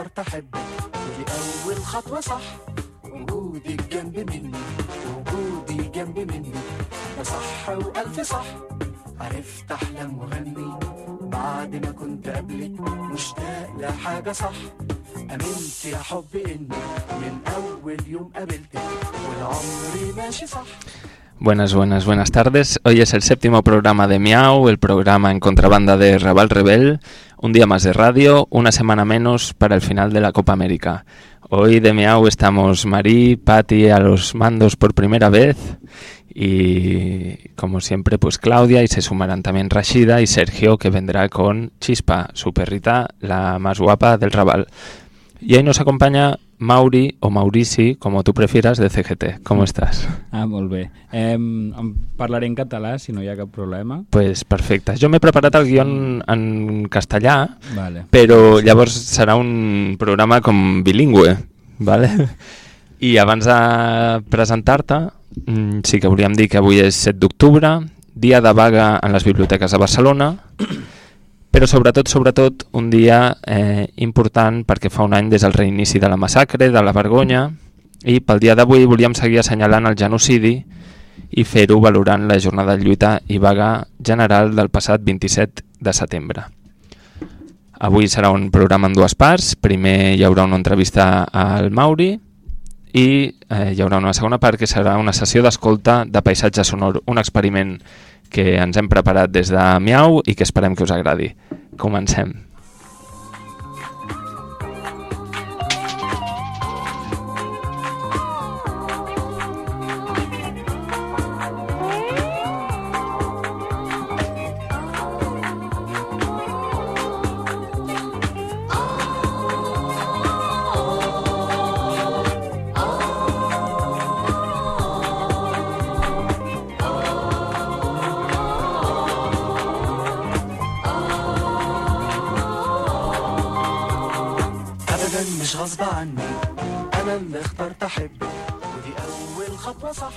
أحبك ودي أول خطوة صح وجودك جنب مني وجودي جنب مني ده صح وألف صح عرفت أحلم وغني بعد ما كنت قبلك مشتاق لحاجة صح أمنت يا حب إني من أول يوم قابلتك والعمر ماشي صح. Buenas tardes. Hoy es el 7º programa de Miau, el programa en contrabanda de Raval Rebel. Un día más de radio, una semana menos para el final de la Copa América. Hoy de Miau estamos Marí, Pati a los mandos por primera vez y como siempre pues Claudia, y se sumarán también Rashida y Sergio, que vendrá con Chispa, su perrita, la más guapa del Raval. Y ahí nos acompaña Mauri, o Maurici, como tú prefieras, de CGT. ¿Cómo estás? Molt bé. Parlaré en català, si no hi ha cap problema. Pues perfecte. Jo m'he preparat el guió en castellà, vale. Però llavors serà un programa com bilingüe, vale? I abans de presentar-te, sí que volíem dir que avui és 7 d'octubre, dia de vaga en les biblioteques de Barcelona, però sobretot un dia important perquè fa un any des del reinici de la massacre, de la vergonya, i pel dia d'avui volíem seguir assenyalant el genocidi i fer-ho valorant la jornada de lluita i vaga general del passat 27 de setembre. Avui serà un programa en dues parts. Primer hi haurà una entrevista al Mauri i hi haurà una segona part que serà una sessió d'escolta de paisatge sonor, un experiment que ens hem preparat des de Miau i que esperem que us agradi. Comencem.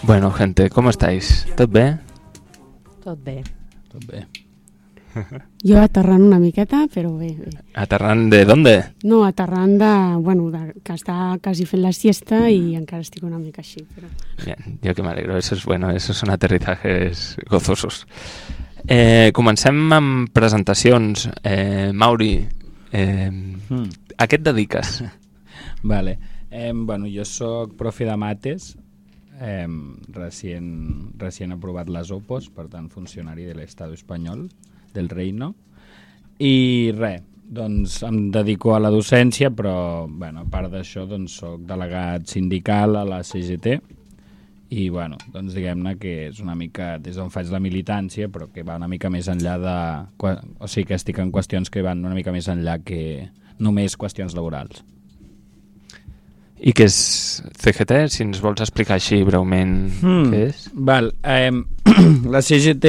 Bueno, gente, ¿cómo estáis? ¿Tot bé? Tot bé. Jo aterrant una miqueta, però bé. ¿Aterrant de dónde? No, aterrant que està quasi fent la siesta y encara estic una mica així. Però... Bien, yo que me alegro, eso es bueno, esos son aterrizajes gozosos. Comencem amb presentacions. Mauri, a què et dediques? Vale. Jo soc profe de mates, recient aprovat les OPOs, per tant funcionari de l'Estado espanyol, del Reino, i res, doncs em dedico a la docència, però a part d'això doncs soc delegat sindical a la CGT i doncs diguem-ne que és una mica des d'on faig la militància, però que va una mica més enllà o sigui que estic en qüestions que van una mica més enllà que només qüestions laborals. I què és CGT? Si ens vols explicar així breument què és. Val. La CGT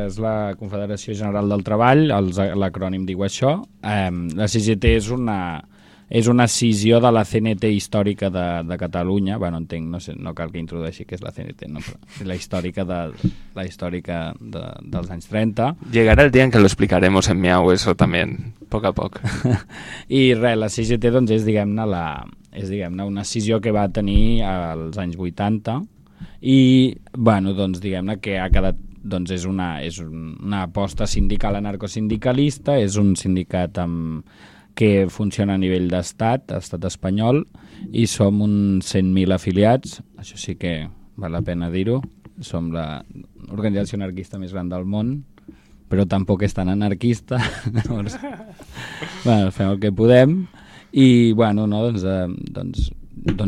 és la Confederació General del Treball, l'acrònim diu això. La CGT és una escissió de la CNT històrica de Catalunya. Entenc, no cal que introdueixi què és la CNT, no, però la històrica dels anys 30. Llegará el día en que lo explicaremos en Miau, eso también, poc a poc. I res, la CGT doncs és, diguem-ne, una escissió que va tenir als anys 80 i, doncs diguem-ne que ha quedat, doncs és una aposta sindical anarcosindicalista, és un sindicat que funciona a nivell d'estat, estat espanyol, i som uns 100.000 afiliats, això sí que val la pena dir-ho, som l'organització anarquista més gran del món, però tampoc és tan anarquista, llavors, fem el que podem, i doncs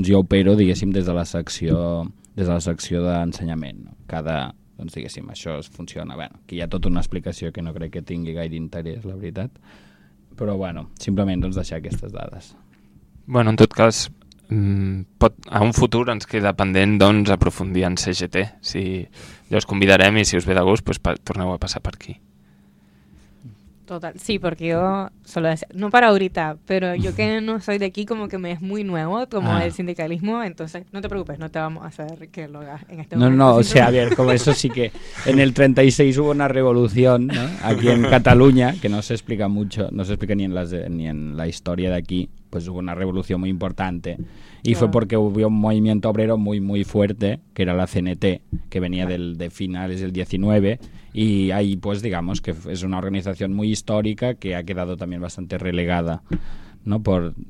jo opero, diguéssim, des de la secció d'ensenyament. Doncs diguéssim, això funciona. Aquí hi ha tota una explicació que no crec que tingui gaire interès, la veritat, però simplement doncs deixar aquestes dades. En tot cas, a un futur ens queda pendent doncs aprofundir en CGT. Ja us convidarem i si us ve de gust pues torneu a passar per aquí. Total, sí, porque yo solo decía, no para ahorita, pero yo que no soy de aquí como que me es muy nuevo como el sindicalismo, entonces no te preocupes, no te vamos a hacer que lo hagas en este momento. No, o sea, a ver, como eso sí que en el 36 hubo una revolución, ¿no? Aquí en Cataluña, que no se explica mucho, no se explica ni en la historia de aquí, pues hubo una revolución muy importante. Y fue porque hubo un movimiento obrero muy, muy fuerte, que era la CNT, que venía de finales del 19, y ahí, pues, digamos que es una organización muy histórica que ha quedado también bastante relegada, ¿no?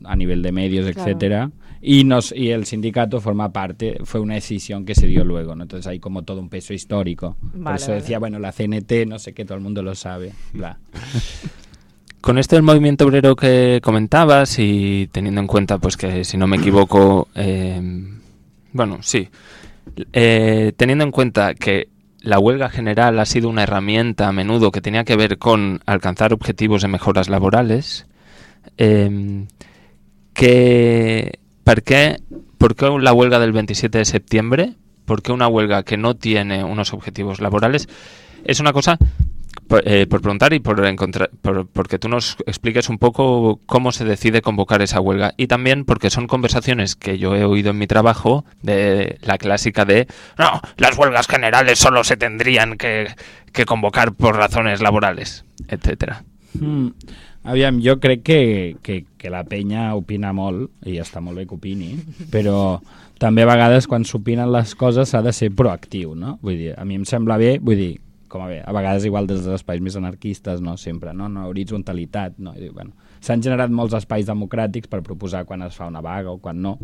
A nivel de medios, etcétera, y el sindicato forma parte, fue una decisión que se dio luego, ¿no? Entonces hay como todo un peso histórico. Por eso decía, bueno, la CNT, no sé qué, todo el mundo lo sabe, bla. Con esto del movimiento obrero que comentabas y teniendo en cuenta pues que, si no me equivoco, teniendo en cuenta que la huelga general ha sido una herramienta a menudo que tenía que ver con alcanzar objetivos de mejoras laborales, ¿por qué la huelga del 27 de septiembre? ¿Por qué una huelga que no tiene unos objetivos laborales? Es una cosa... por preguntar y porque tú nos expliques un poco cómo se decide convocar esa huelga, y también porque son conversaciones que yo he oído en mi trabajo, de la clásica de no, las huelgas generales solo se tendrían que convocar por razones laborales, etcétera. Aviam, jo crec que la penya opina molt, i està molt bé que opini, però també a vegades quan s'opinen les coses s'ha de ser proactiu, no? Vull dir, a mi em sembla bé, vull dir, com a bé, a vegades igual des dels espais més anarquistes, no sempre, no horitzontalitat, no? Bueno, s'han generat molts espais democràtics per proposar quan es fa una vaga o quan no,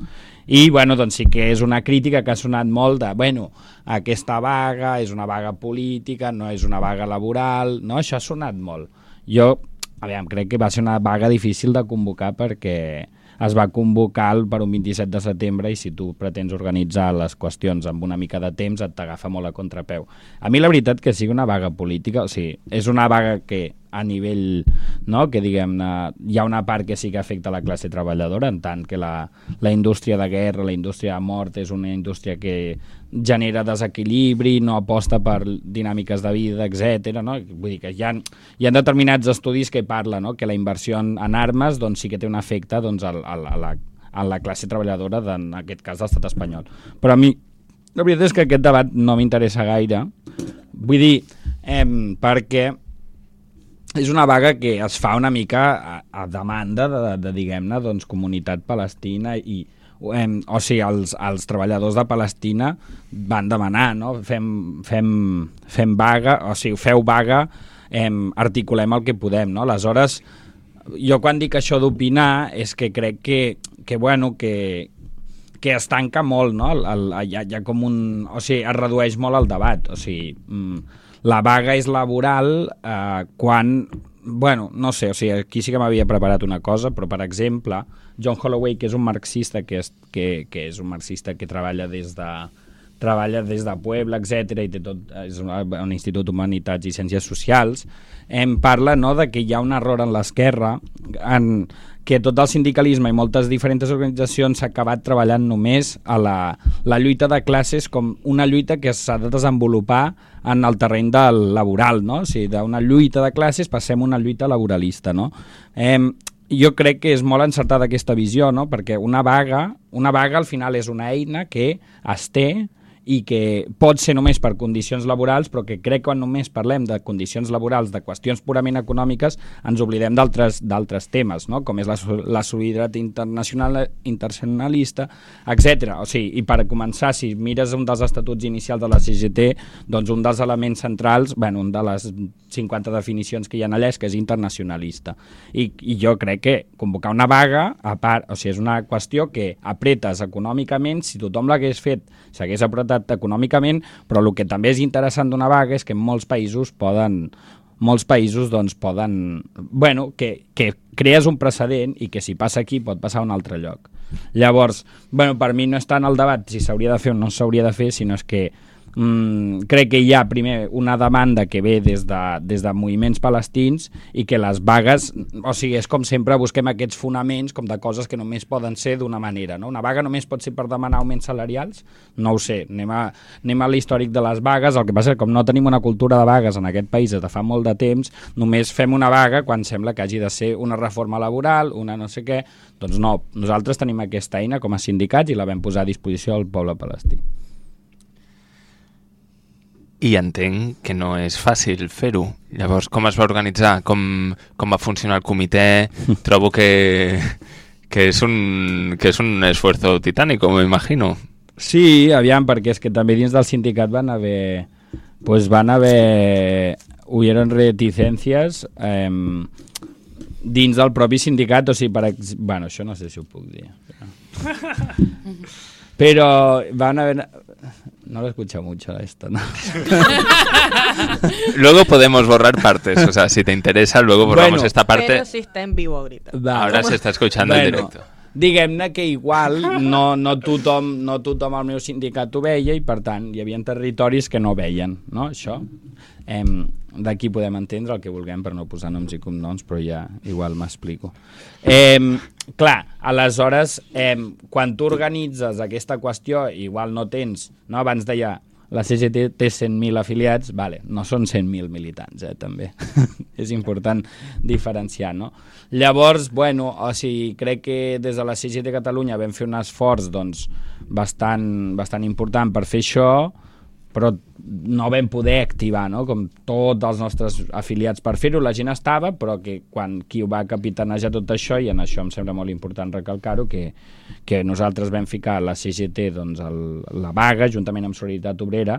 i bueno, doncs sí que és una crítica que ha sonat molt de, bueno, aquesta vaga és una vaga política, no és una vaga laboral, no? Això ha sonat molt. Jo, crec que va ser una vaga difícil de convocar perquè es va convocar per un 27 de setembre i si tu pretens organitzar les qüestions amb una mica de temps et t'agafa molt a contrapeu. A mi la veritat que sigui una vaga política, o sigui, és una vaga que a nivell, no?, que diguem-ne, hi ha una part que sí que afecta la classe treballadora, en tant que la indústria de guerra, la indústria de mort és una indústria que genera desequilibri, no aposta per dinàmiques de vida, etc. No? Vull dir que hi ha determinats estudis que parlen, no?, que la inversió en armes doncs, sí que té un efecte doncs, a la classe treballadora, en aquest cas l'estat espanyol. Però a mi la veritat és que aquest debat no m'interessa gaire, vull dir, perquè és una vaga que es fa una mica a demanda de diguem-ne, doncs, comunitat palestina i o sigui, els treballadors de Palestina van demanar, no? Fem vaga, o sigui, feu vaga, articulem el que podem, no? Aleshores, jo quan dic això d'opinar és que crec que bueno, que es tanca molt, no? Hi ha com un... O sigui, es redueix molt el debat, o sigui... La vaga és laboral quan... Bueno, no sé, o sigui, aquí sí que m'havia preparat una cosa, però, per exemple, John Holloway, que és un marxista que és un marxista que treballa des de Puebla, etc., i té tot, és un institut d'Humanitats i Ciències Socials, parla, no?, de que hi ha un error en l'esquerra, en que tot el sindicalisme i moltes diferents organitzacions s'ha acabat treballant només a la lluita de classes com una lluita que s'ha de desenvolupar en el terreny del laboral, no? O sigui, d'una lluita de classes passem a una lluita laboralista, no? Jo crec que és molt encertada aquesta visió, no? Perquè una vaga al final és una eina que es té i que pot ser només per condicions laborals, però que crec que quan només parlem de condicions laborals, de qüestions purament econòmiques, ens oblidem d'altres temes, no? Com és la solidaritat internacionalista, etc. O sigui, i per començar, si mires un dels estatuts inicials de la CGT, doncs un dels elements centrals, bueno, un de les 50 definicions que hi ha allà és que és internacionalista. I jo crec que convocar una vaga, a part, o sigui, és una qüestió que apretes econòmicament, si tothom l'hagués fet, s'hagués apretat econòmicament, però el que també és interessant d'una vaga és que molts països doncs poden, bueno, que crees un precedent i que si passa aquí pot passar a un altre lloc. Llavors, bueno, per mi no és tant el debat si s'hauria de fer o no s'hauria de fer, sinó és que crec que hi ha primer una demanda que ve des de moviments palestins i que les vagues, o sigui, és com sempre busquem aquests fonaments com de coses que només poden ser d'una manera, no? Una vaga només pot ser per demanar augments salarials? No ho sé, anem a l'històric de les vagues, el que passa és que com no tenim una cultura de vagues en aquest país des de fa molt de temps, només fem una vaga quan sembla que hagi de ser una reforma laboral, una no sé què, doncs no, nosaltres tenim aquesta eina com a sindicats i la vam posar a disposició del poble palestí. I entenc que no és fàcil fer-ho. Llavors, com es va organitzar? Com va funcionar el comitè? Trobo que que es un esfuerzo titánico, me imagino. Sí, aviam, perquè és que també dins del sindicat hubieron reticències dins del propi sindicat, o sigui, bueno, això no sé si ho puc dir. Pero van a ver... No lo he escuchado mucho esto, ¿no? Luego podemos borrar partes, o sea, si te interesa, luego borramos esta parte. Pero sí está en vivo ahorita. Ahora se está escuchando en directo. Diguem-ne que igual no tothom al meu sindicat ho veia i per tant hi havia territoris que no veien, no? Això d'aquí podem entendre el que vulguem per no posar noms i cognoms, però ja igual m'explico. Clar, aleshores quan tu organitzes aquesta qüestió igual no tens, no? Abans deia la CGT té 100.000 afiliats, vale, no són 100.000 militants, també. És important diferenciar, no? Llavors, bueno, o sigui, crec que des de la CGT Catalunya vam fer un esforç doncs, bastant important per fer això, però no vam poder activar, no? Com tots els nostres afiliats per fer-ho, la gent estava, però que quan qui ho va capitanejar tot això, i en això em sembla molt important recalcar-ho, que nosaltres vam ficar la CGT doncs, la vaga, juntament amb Solidaritat Obrera,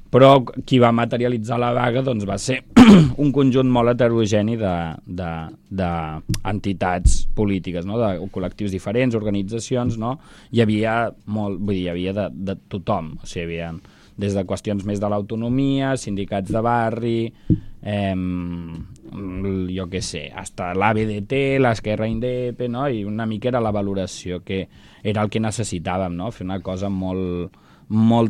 però qui va materialitzar la vaga doncs, va ser un conjunt molt heterogeni d'entitats polítiques, no? De col·lectius diferents, organitzacions, no? Hi havia de tothom, o sigui, hi havia des de qüestions més de l'autonomia, sindicats de barri, jo què sé, hasta l'ABDT, l'Esquerra Indep, no? I una mica era la valoració que era el que necessitàvem, no? Fer una cosa molt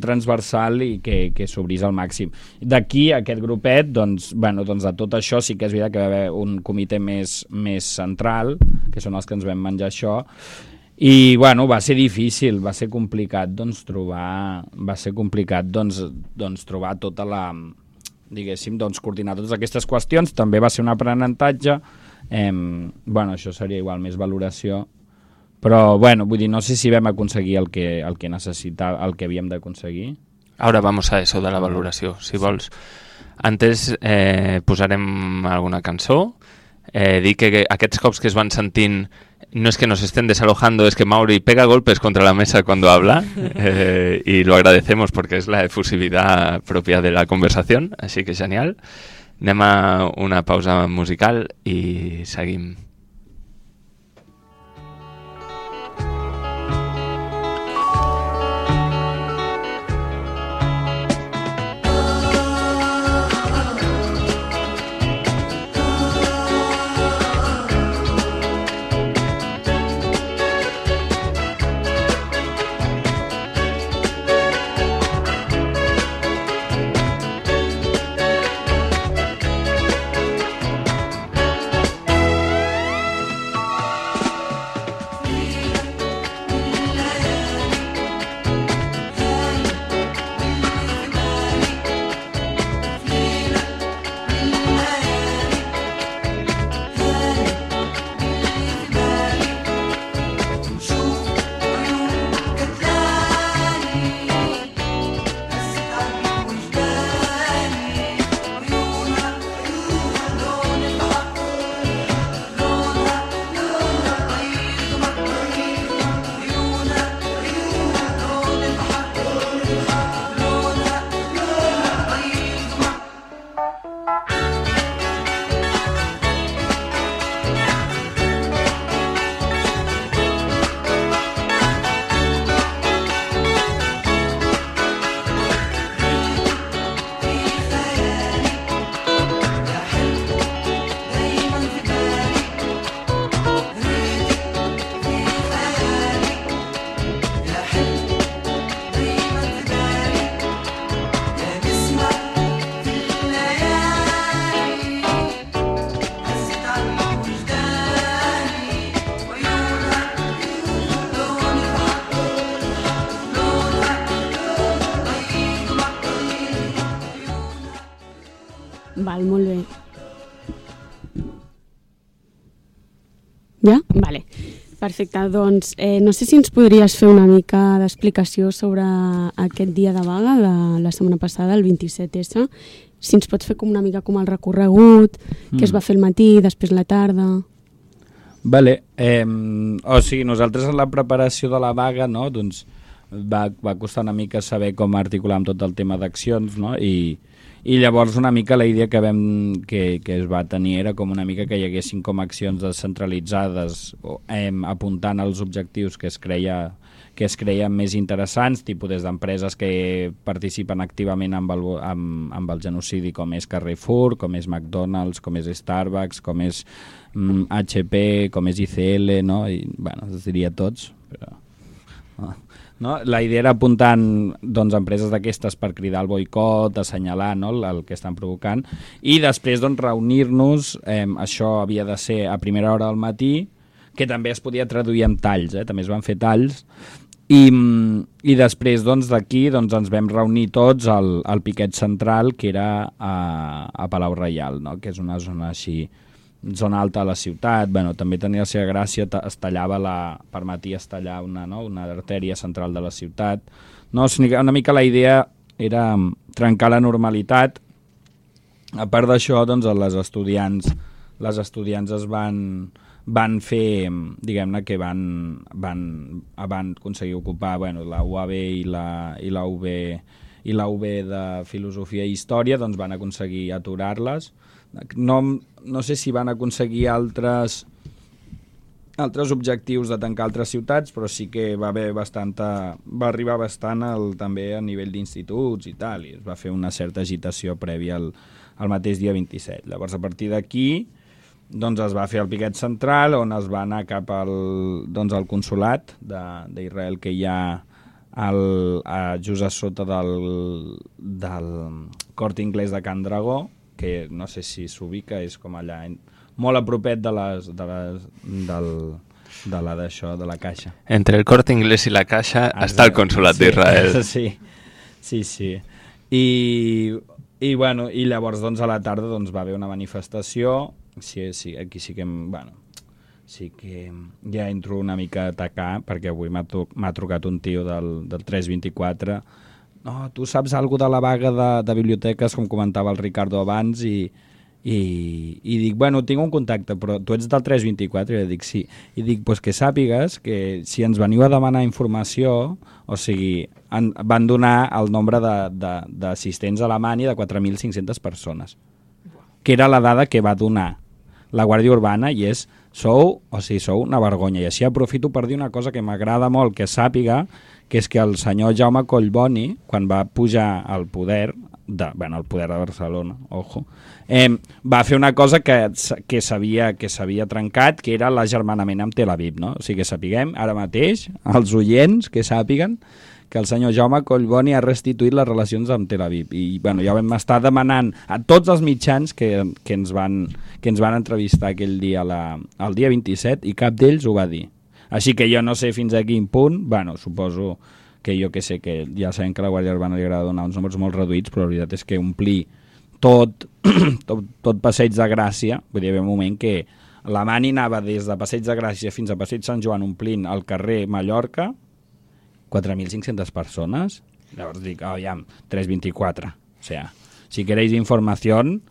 transversal i que s'obrís al màxim. D'aquí, aquest grupet, doncs de tot això sí que és veritat que va haver un comitè més central, que són els que ens vam menjar això, i bueno, va ser difícil, va ser complicat trobar tota la, diguéssim, coordinar totes aquestes qüestions. També va ser un aprenentatge, bueno, això seria igual més valoració, però bueno, vull dir, no sé si vam aconseguir el que necessitava, el que havíem d'aconseguir. Ahora vamos a eso de la valoració, si vols. Antes posarem alguna cançó. Dir que aquests cops que es van sentint no es que nos estén desalojando, es que Mauri pega golpes contra la mesa cuando habla y lo agradecemos porque es la efusividad propia de la conversación, así que genial. Anem a una pausa musical i seguim. Val, molt bé. Ja? Vale. Perfecte, doncs no sé si ens podries fer una mica d'explicació sobre aquest dia de vaga de la setmana passada, el 27S, si ens pots fer com una mica com el recorregut, què es va fer al matí, després la tarda... Vale. O sigui, nosaltres en la preparació de la vaga, no, doncs va costar una mica saber com articular amb tot el tema d'accions, no? I llavors una mica la idea que es va tenir era com una mica que hi haguessin com accions descentralitzades apuntant als objectius que es creien més interessants, tipus des d'empreses que participen activament amb el genocidi, com és Carrefour, com és McDonald's, com és Starbucks, com és HP, com és ICL, no? I, bueno, els diria tots, però... No? La idea era apuntant doncs, empreses d'aquestes per cridar el boicot, assenyalar, no? El que estan provocant, i després doncs, reunir-nos, això havia de ser a primera hora del matí, que també es podia traduir en talls, també es van fer talls, i després doncs, d'aquí doncs, ens vam reunir tots al piquet central, que era a Palau Reial, no? Que és una zona així, zona alta de la ciutat. Bueno, també tenia la seva gràcia, permetia tallar una artèria central de la ciutat. No, una mica la idea era trencar la normalitat. A part d'això, doncs, les estudiants es van fer, diguem-ne que van aconseguir ocupar la UAB i la UB de Filosofia i Història, doncs van aconseguir aturar-les. No sé si van aconseguir altres objectius de tancar altres ciutats, però sí que va arribar bastant també a nivell d'instituts i tal, i es va fer una certa agitació prèvia al mateix dia 27. Llavors, a partir d'aquí, doncs es va fer el piquet central, on es va anar cap al consolat d'Israel que hi ha just a sota del Corte Inglés de Can Dragó, que no sé si s'ubica, és com allà molt a propet de la Caixa. Entre el Corte Inglés i la Caixa està el Consolat d'Israel. Sí. I llavors doncs, a la tarda doncs, va haver una manifestació. Sí, aquí sí que sí que ja entro una mica a atacar, perquè avui m'ha trucat un tio del 324. No, tu saps alguna de la vaga de biblioteques, com comentava el Ricardo abans, i dic, bueno, tinc un contacte, però tu ets del 324? I dic, sí. I dic, pues que sàpigues que si ens veniu a demanar informació, o sigui, van donar el nombre d'assistents a Alemanya de 4.500 persones, que era la dada que va donar la Guàrdia Urbana, i sou una vergonya. I així aprofito per dir una cosa que m'agrada molt que sàpiga, que és que el senyor Jaume Collboni, quan va pujar al poder, el poder de Barcelona, ojo, va fer una cosa que s'havia trencat, que era l'agermanament amb Tel Aviv, no? O sigui, que sapiguem ara mateix, els oients que sàpiguen que el senyor Jaume Collboni ha restituït les relacions amb Tel Aviv. I ja vam estar demanant a tots els mitjans que ens van entrevistar aquell dia, el dia 27, i cap d'ells ho va dir. Així que jo no sé fins a quin punt, suposo que que ja sabem que a la Guàrdia Urbana li agrada donar uns números molt reduïts, però la veritat és que omplir tot Passeig de Gràcia, vull dir, hi havia un moment que la Mani anava des de Passeig de Gràcia fins a Passeig Sant Joan omplint el carrer Mallorca, 4.500 personas. Llavors dic, aviam, 324. O sea, si queréis información,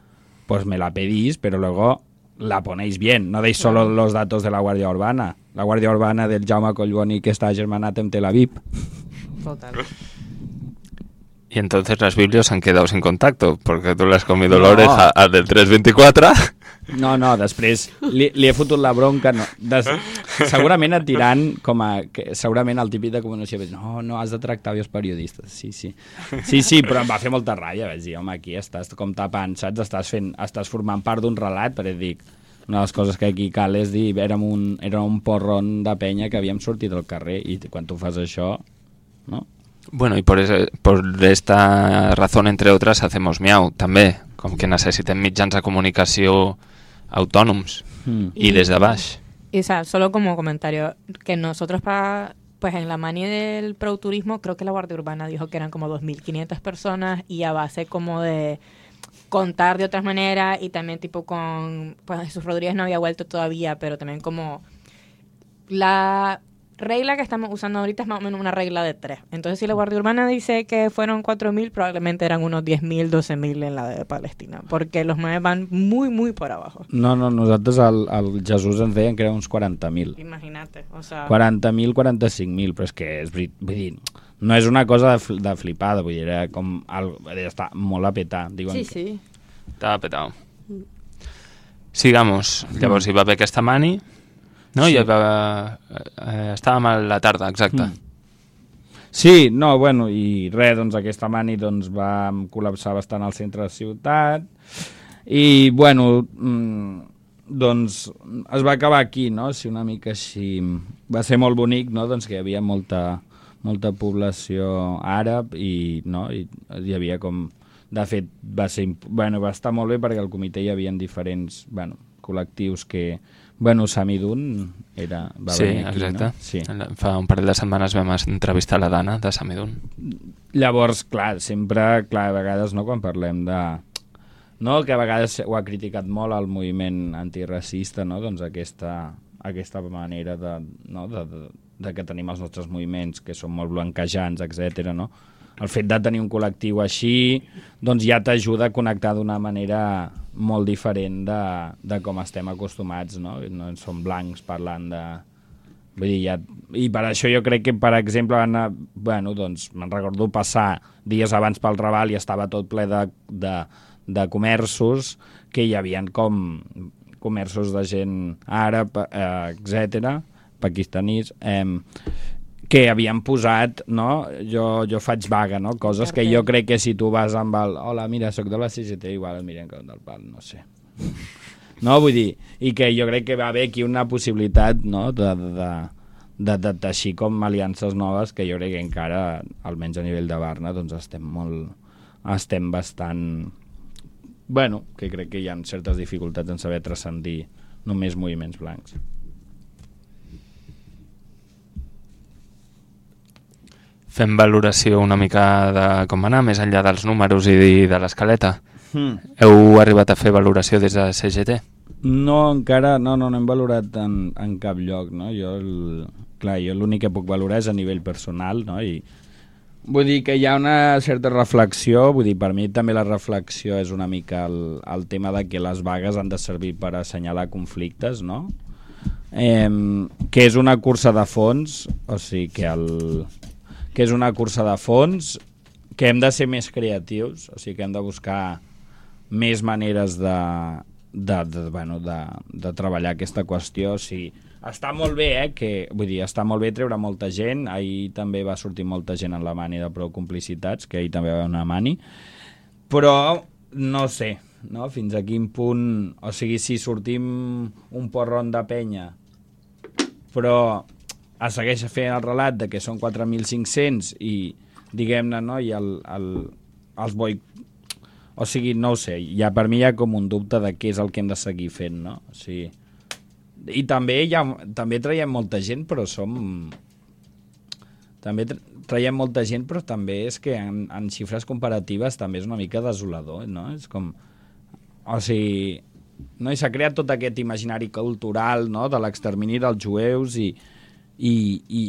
pues me la pedís, pero luego la ponéis bien. No deis solo los datos de la Guàrdia Urbana. La Guàrdia Urbana del Jaume Collboni que està germanat amb Tel Aviv. Total. Y entonces las Biblias han quedado sin contacto, porque tú le has comido la oreja al del 324. No, després li he fotut la bronca. No. Segurament et diran segurament el típic de comunicació, no, has de tractar bé els periodistes. Sí, però em va fer molta ràbia. Vaig dir, home, aquí estàs com tapant, saps? Estàs formant part d'un relat, perquè dic, una de les coses que aquí cal és dir, érem un porron de penya que havíem sortit al carrer, i quan tu fas això, no? Bueno, y por esta razón, entre otras, hacemos Miau, també, com que necessitem mitjans de comunicació autònoms y desde baix. Y, o sea, solo como comentario, que nosotros pues en la mani del pro-turismo, creo que la Guardia Urbana dijo que eran como 2.500 personas, y a base como de contar de otras maneras, y también tipo con, pues Jesús Rodríguez no había vuelto todavía, pero también como regla que estamos usando ahorita es más o menos una regla de 3. Entonces, si la Guardia Urbana dice que fueron 4.000, probablemente eran unos 10.000, 12.000 en la de Palestina, porque los maes van muy, muy por abajo. No, nosaltres al Jesús ens deien que eren uns 40.000. Imagínate, o sea... 40.000, 45.000, però és que vull dir, no és una cosa de flipada, vull dir, era com està molt a petar. Diuen Sí. Estava petado. Sigamos. Llavors hi va haver aquesta mani, no? Sí. Estàvem a la tarda, exacte. Sí, no, bueno, i res, doncs aquesta mani doncs, va col·lapsar bastant al centre de la ciutat i, bueno, doncs es va acabar aquí, no? Sí, una mica així. Va ser molt bonic, no? Doncs que hi havia molta població àrab i, no? I hi havia com... De fet, va estar molt bé perquè al comitè hi havia diferents col·lectius que... Samidun va venir aquí, exacte. no? Sí. Fa un parell de setmanes vam entrevistar la Dana de Samidun. Llavors, clar, sempre, a vegades, no, quan parlem de... No, que a vegades ho ha criticat molt el moviment antiracista, no? Doncs aquesta manera de que tenim els nostres moviments, que són molt blanquejants, etc. No? El fet de tenir un col·lectiu així doncs ja t'ajuda a connectar d'una manera molt diferent de com estem acostumats, no? No som blancs parlant de... Vull dir, i per això jo crec que, per exemple, doncs me'n recordo passar dies abans pel Raval i estava tot ple de comerços, que hi havia com comerços de gent àrab, etc., pakistanís, que havien posat, no? Jo faig vaga, no? Coses que jo crec que si tu vas amb el... Hola, mira, soc de la CGT, igual el miren com del pal, no sé. No, vull dir, i que jo crec que va haver aquí una possibilitat, no?, de teixir com aliances noves que jo crec que encara, almenys a nivell de Barna, doncs estem bastant... Bueno, que crec que hi ha certes dificultats en saber transcendir només moviments blancs. Fem valoració una mica de com anar, més enllà dels números i de l'escaleta. Heu arribat a fer valoració des de CGT? No, encara no hem valorat en cap lloc, no? Jo l'únic que puc valorar és a nivell personal, no? I vull dir que hi ha una certa reflexió, vull dir, per mi també la reflexió és una mica el tema de que les vagues han de servir per assenyalar conflictes, no? Que és una cursa de fons, o sigui que és una cursa de fons, que hem de ser més creatius, o sigui que hem de buscar més maneres de treballar aquesta qüestió. O sigui, està molt bé, està molt bé treure molta gent. Ahir també va sortir molta gent en la mani de Prou Complicitats, que ahir també va haver una mani, però no sé, no? Fins a quin punt, o sigui, si sortim un porron de penya, però es segueix fent el relat de que són 4.500 i, diguem-ne, no, i els o sigui, no ho sé, per mi hi ha com un dubte de què és el que hem de seguir fent, no? O sigui, i també traiem molta gent, però traiem molta gent, però també és que en xifres comparatives també és una mica desolador, no? És com... O sigui, no? I s'ha creat tot aquest imaginari cultural, no?, de l'extermini dels jueus i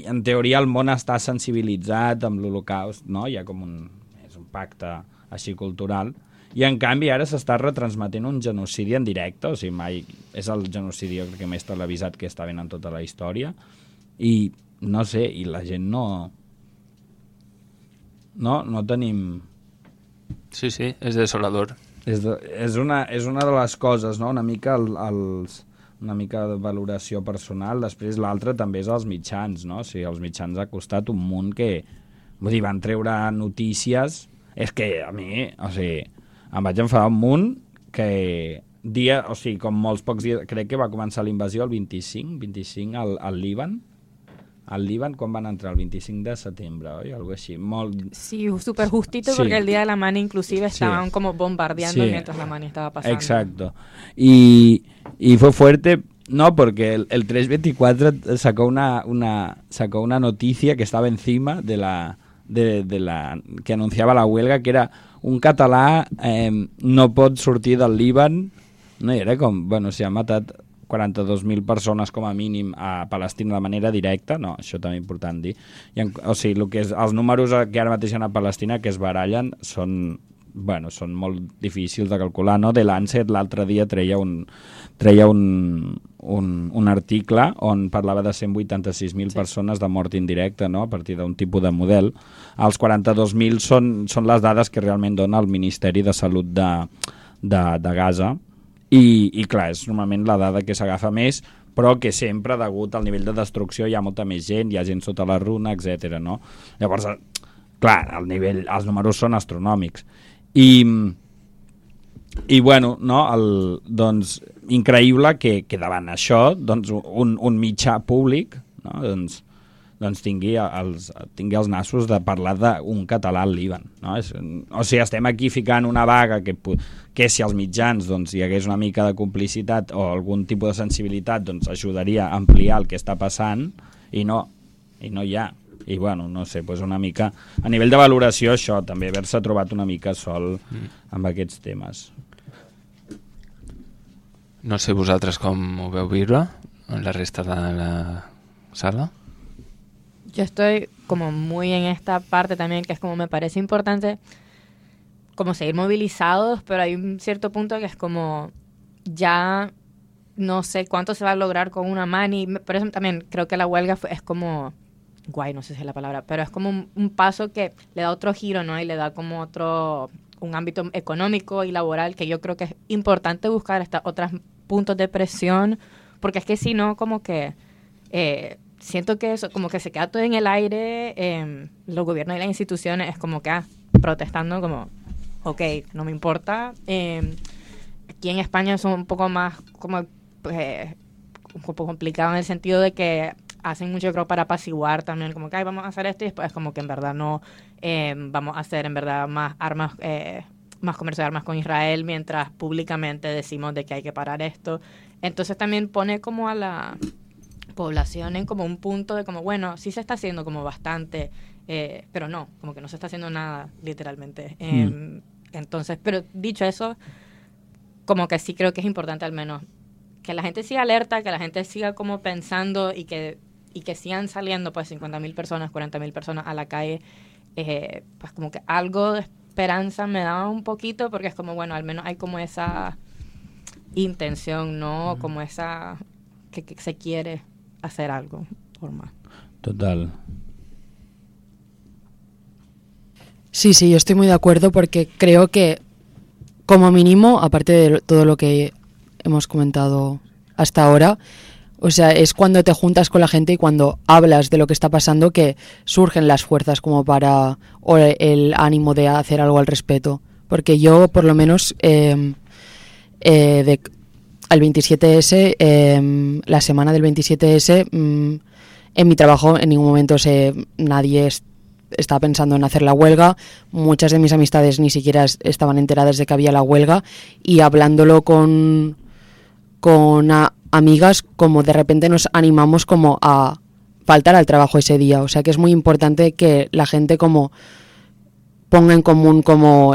en teoria el món està sensibilitzat amb l'Holocaust, no? Hi ha com és un pacte així cultural, i en canvi ara s'està retransmetent un genocidi en directe, o sigui, mai és el genocidi jo crec que més televisat que està venint en tota la història, i no sé, i la gent no tenim... Sí, és desolador. És una de les coses, no? Una mica una mica de valoració personal. Després l'altre també és els mitjans, no? O sigui, els mitjans ha costat un munt que... Vull dir, van treure notícies... És que a mi, o sigui, em vaig enfadar un munt que o sigui, com molts pocs dies... Crec que va començar la invasió el 25 al Líban. Al Líban, quan van entrar? El 25 de setembre, oi? Algo així. Sí, súper justito, porque el día de la mani inclusive estaban como bombardeando mientras la mani estaba pasando. Exacto. Y fue fuerte, no, porque el 324 sacó una noticia que estaba encima de la que anunciava la huelga, que era un català no pot sortir del Líban, no? I era com, bueno, s'ha matat 42.000 persones com a mínim a Palestina de manera directa, no, això també és important dir. O sigui, el que és, els números que ara mateix hi ha a Palestina que es barallen són molt difícils de calcular, no? The Lancet l'altre dia treia un article on parlava de 186.000 persones de mort indirecta, no? A partir d'un tipus de model. Els 42.000 són les dades que realment dona el Ministeri de Salut de Gaza i clar, és normalment la dada que s'agafa més, però que sempre, degut al nivell de destrucció, hi ha molta més gent, hi ha gent sota la runa, etc. No? Llavors, clar, els números són astronòmics. I bueno, no, doncs, increïble que davant això doncs, un mitjà públic, no, doncs tingui els nassos de parlar d'un català al Líban. No? O sigui, estem aquí ficant una vaga que si als mitjans doncs, hi hagués una mica de complicitat o algun tipus de sensibilitat doncs, ajudaria a ampliar el que està passant i no hi ha. I bueno, no sé, doncs una mica a nivell de valoració això, també haver-se trobat una mica sol amb aquests temes. No sé vosaltres com ho veu viure en la resta de la sala. Yo estoy como muy en esta parte también, que es como me parece importante como seguir movilizados, pero hay un cierto punto que es como ya no sé cuánto se va a lograr con una mani. Por eso también creo que la huelga es como guay, no sé si es la palabra, pero es como un paso que le da otro giro, ¿no? Y le da como un ámbito económico y laboral que yo creo que es importante buscar hasta otros puntos de presión, porque es que si no, como que siento que eso como que se queda todo en el aire, los gobiernos y las instituciones es como que protestando como, ok, no me importa. Aquí en España son un poco más como un poco complicado en el sentido de que hacen mucho, creo, para apaciguar también, como que vamos a hacer esto y después como que en verdad no vamos a hacer en verdad más armas, más comercio de armas con Israel, mientras públicamente decimos de que hay que parar esto. Entonces también pone como a la población en como un punto de como, bueno, sí se está haciendo como bastante, pero no, como que no se está haciendo nada, literalmente. Entonces, pero dicho eso, como que sí creo que es importante al menos que la gente siga alerta, que la gente siga como pensando y que sigan saliendo pues 50.000 personas, 40.000 personas a la calle, pues como que algo de esperanza me da un poquito, porque es como, bueno, al menos hay como esa intención, ¿no? Como esa que se quiere hacer algo por más. Total. Sí, yo estoy muy de acuerdo porque creo que como mínimo, aparte de todo lo que hemos comentado hasta ahora, o sea, es cuando te juntas con la gente y cuando hablas de lo que está pasando que surgen las fuerzas como para, o el ánimo de hacer algo al respecto. Porque yo, por lo menos, al 27S, la semana del 27S, en mi trabajo en ningún momento nadie estaba pensando en hacer la huelga. Muchas de mis amistades ni siquiera estaban enteradas de que había la huelga, y hablándolo con amigas, como de repente nos animamos como a faltar al trabajo ese día. O sea que es muy importante que la gente como ponga en común como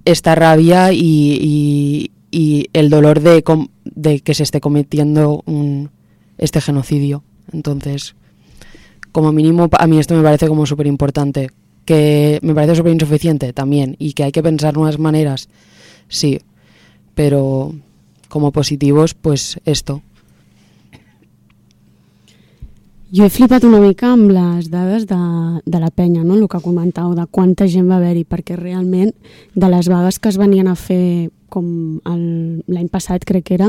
esta rabia y el dolor de que se esté cometiendo este genocidio. Entonces, como mínimo, a mí esto me parece como súper importante. Que me parece súper insuficiente también, y que hay que pensar nuevas maneras, sí, pero como positivos, pues esto. Jo he flipat una mica amb les dades de la penya, no? El que comentàu, de quanta gent va haver-hi, perquè realment de les vagues que es venien a fer com l'any passat, crec que era,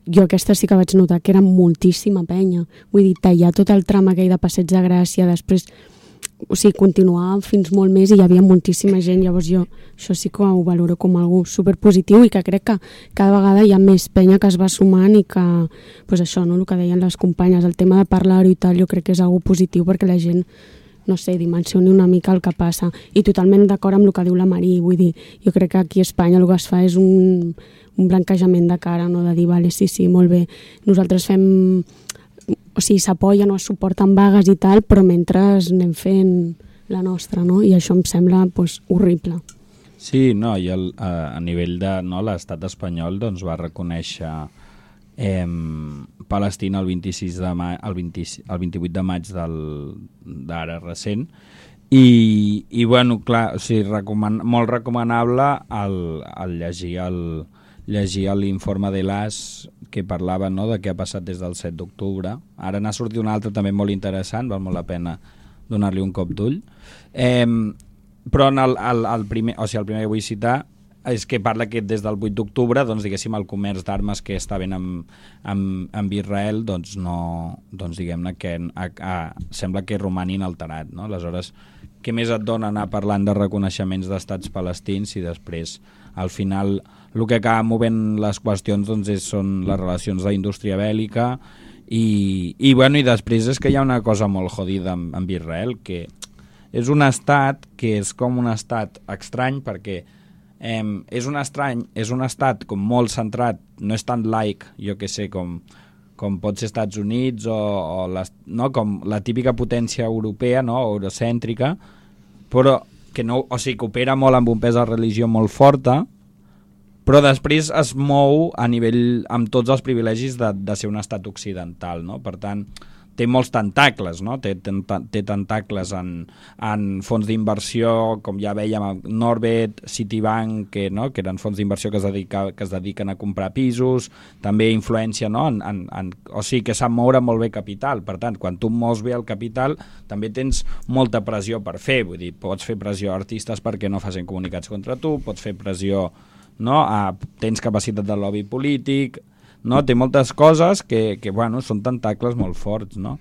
jo aquesta sí que vaig notar que era moltíssima penya. Vull dir, tallar tot el tram aquell de Passeig de Gràcia, després, o sigui, continuava fins molt més i hi havia moltíssima gent. Llavors jo això sí que ho valoro com algo superpositiu, i que crec que cada vegada hi ha més penya que es va sumant, i que, pues això, no? El que deien les companyes, el tema de parlar-ho i tal, jo crec que és algo positiu perquè la gent, no sé, dimensioni una mica el que passa. I totalment d'acord amb el que diu la Marí, vull dir, jo crec que aquí a Espanya el que es fa és un blanquejament de cara, no? De dir, vale, sí, molt bé, nosaltres fem, o sigui, s'apoyen o es suporten vagues i tal, però mentre anem fent la nostra, no? I això em sembla pues, horrible. Sí, no, i a nivell de, no, l'estat espanyol doncs, va reconèixer Palestina el 26 de el 28 de maig d'ara recent, i bueno, clar, o sigui, molt recomanable el llegir l'informe de l'AS que parlava, no?, de què ha passat des del 7 d'octubre. Ara n'ha sortit un altre també molt interessant, val molt la pena donar-li un cop d'ull. Però el primer que vull citar és que parla que des del 8 d'octubre, doncs, diguéssim, el comerç d'armes que està ben amb Israel, doncs, no, doncs, diguem-ne que sembla que romani inalterat, no? Aleshores, què més et dona anar parlant de reconeixements d'estats palestins i després, al final, el que acaba movent les qüestions, doncs, són les relacions d'indústria bèl·lica i després és que hi ha una cosa molt jodida amb Israel, que és un estat que és com un estat estrany perquè és un estat com molt centrat, no és tan laic, jo que sé, com pot ser Estats Units no? Com la típica potència europea, no? Eurocèntrica, però que no, o sigui, que opera molt amb un pes de religió molt forta, però després es mou a nivell amb tots els privilegis de ser un estat occidental, no? Per tant, té molts tentacles, no? Té tentacles en fons d'inversió, com ja vèiem, Norbit, Citibank, que eren fons d'inversió que es dediquen a comprar pisos, també influència, no? O sigui, que sap moure molt bé capital. Per tant, quan tu mous bé el capital, també tens molta pressió per fer. Vull dir, pots fer pressió a artistes perquè no facin comunicats contra tu, pots fer pressió, no? Tens capacitat de lobby polític, no? Té moltes coses que bueno, són tentacles molt forts, no?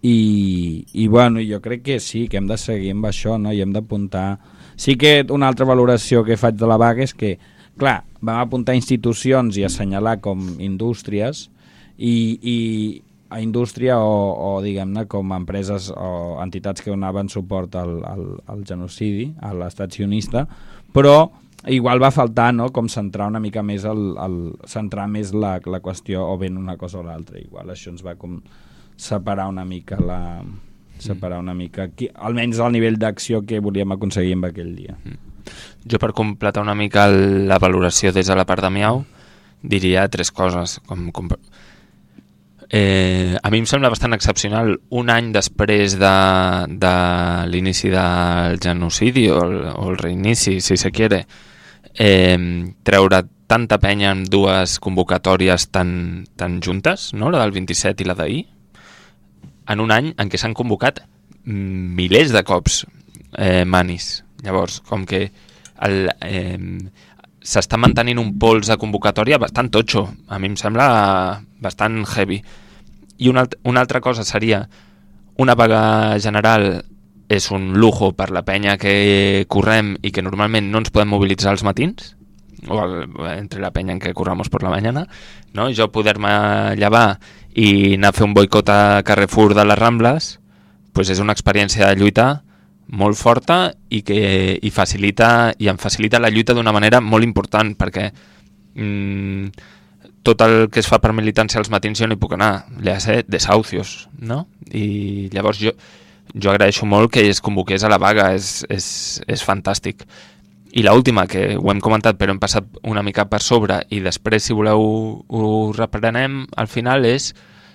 I bueno, jo crec que sí, que hem de seguir amb això, no? I hem d'apuntar. Sí que una altra valoració que faig de la vaga és que, clar, vam apuntar institucions i assenyalar com indústries i a indústria o diguem-ne com empreses o entitats que donaven suport al genocidi, a l'estat sionista, però igual va faltar, no?, com centrar una mica més centrar més la qüestió o ben una cosa o l'altra. Igual això ens va com separar una mica almenys el nivell d'acció que volíem aconseguir en aquell dia. Jo, per completar una mica la valoració des de la part de Miau, diria 3 coses. A mi em sembla bastant excepcional, un any després de l'inici del genocidi o el reinici, si se quiere, treure tanta penya en 2 convocatòries tan juntes, no? La del 27 i la d'ahir, en un any en què s'han convocat milers de cops manis. Llavors, com que s'està mantenint un pols de convocatòria bastant totxo, a mi em sembla bastant heavy. I una altra cosa seria, una vaga general és un lujo per la penya que correm i que normalment no ens podem mobilitzar als matins, o entre la penya en què corramos por la mañana, no? Jo poder-me llevar i anar a fer un boicot a Carrefour de les Rambles, pues és una experiència de lluita molt forta i que em facilita la lluita d'una manera molt important, perquè tot el que es fa per militància als matins jo no hi puc anar, le hace desahucios, no? I llavors jo agraeixo molt que es convoqués a la vaga, és fantàstic. I l'última, que ho hem comentat però hem passat una mica per sobre i després, si voleu, ho reprenem al final, és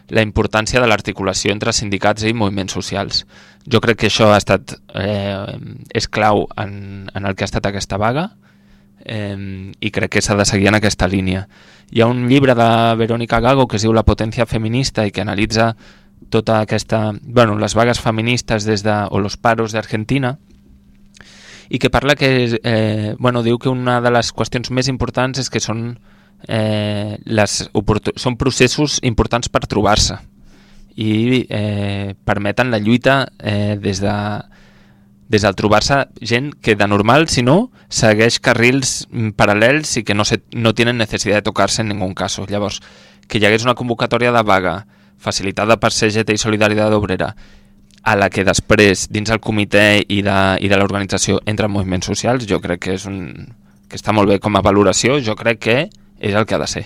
la importància de l'articulació entre sindicats i moviments socials. Jo crec que això ha estat és clau en el que ha estat aquesta vaga i crec que s'ha de seguir en aquesta línia. Hi ha un llibre de Verónica Gago que es diu La potència feminista i que analitza tota aquesta, les vagues feministes o los paros d'Argentina, i que parla que diu que una de les qüestions més importants és que són processos importants per trobar-se i permeten la lluita des del trobar-se gent que de normal, si no, segueix carrils paral·lels i que no tenen necessitat de tocar-se en ningú cas. Llavors, que hi hagués una convocatòria de vaga facilitada per CGT i Solidaritat Obrera, a la que després, dins el comitè i de l'organització, entren moviments socials, jo crec que que està molt bé com a valoració, jo crec que és el que ha de ser.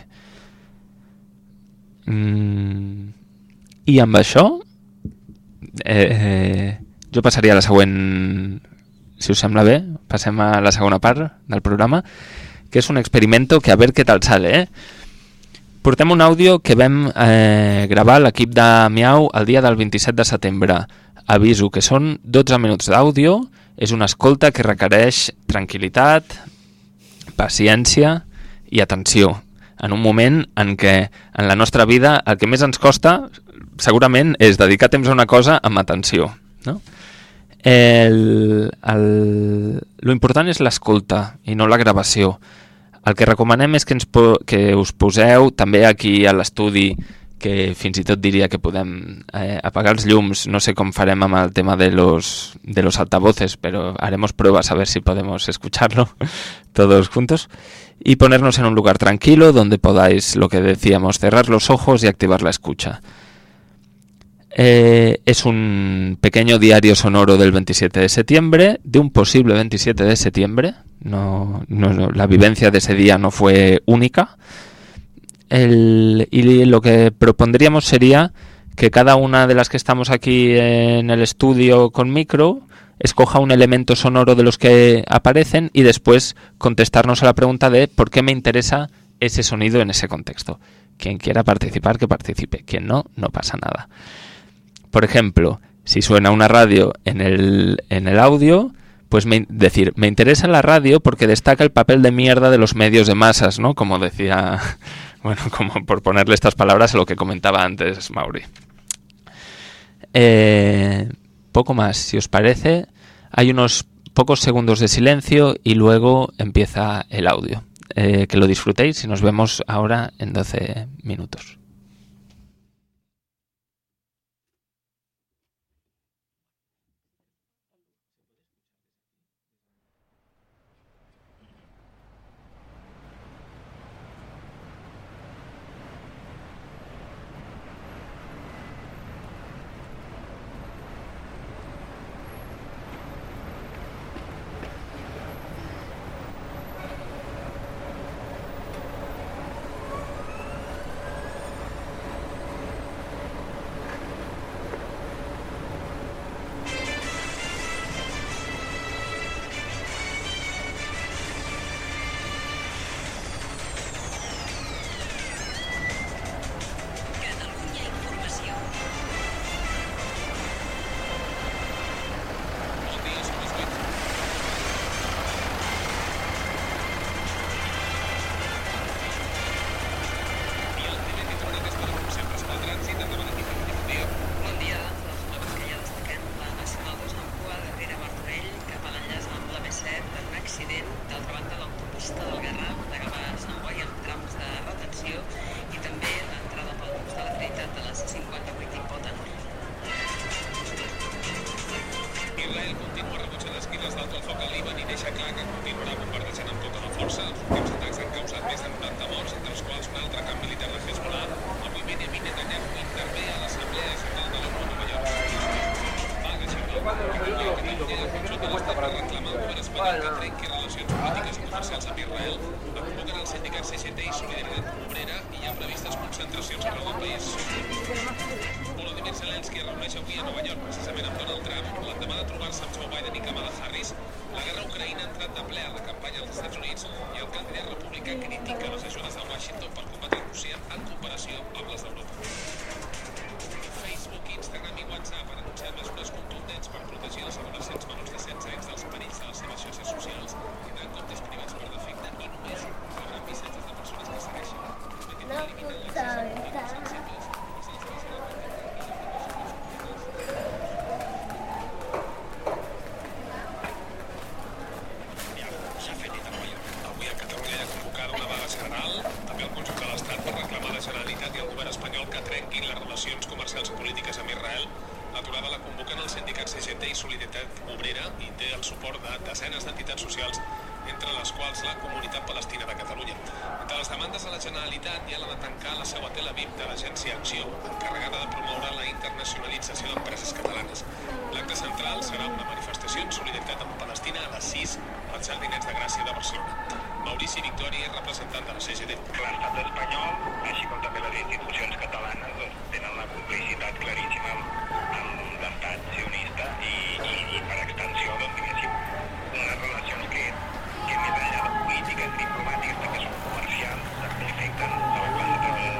I amb això jo passaria a la següent, si us sembla bé, passem a la segona part del programa, que és un experimento que a ver qué tal sale, Portem un àudio que vam gravar a l'equip de Miau el dia del 27 de setembre. Aviso que són 12 minuts d'àudio, és una escolta que requereix tranquil·litat, paciència i atenció. En un moment en què en la nostra vida el que més ens costa segurament és dedicar temps a una cosa amb atenció, no? Lo important és l'escolta i no la gravació. El que recomanem és que us poseu també aquí a l'estudi, que fins i tot diria que podem apagar els llums, no sé com farem amb el tema de los altavoces, pero haremos pruebas a ver si podemos escucharlo todos juntos, y ponernos en un lugar tranquilo donde podáis, lo que decíamos, cerrar los ojos y activar la escucha. Es un pequeño diario sonoro del 27 de septiembre, de un posible 27 de septiembre. No, la vivencia de ese día no fue única. Y lo que propondríamos sería que cada una de las que estamos aquí en el estudio con micro escoja un elemento sonoro de los que aparecen y después contestarnos a la pregunta de por qué me interesa ese sonido en ese contexto. Quien quiera participar, que participe. Quien no, no pasa nada. Por ejemplo, si suena una radio en el audio, pues decir, me interesa la radio porque destaca el papel de mierda de los medios de masas, ¿no? Como decía, bueno, como por ponerle estas palabras a lo que comentaba antes Mauri. Poco más, si os parece, hay unos pocos segundos de silencio y luego empieza el audio. Que lo disfrutéis y nos vemos ahora en 12 minutos. polítiques, diplomàtiques, també són comercials, afecten a la classe treballadora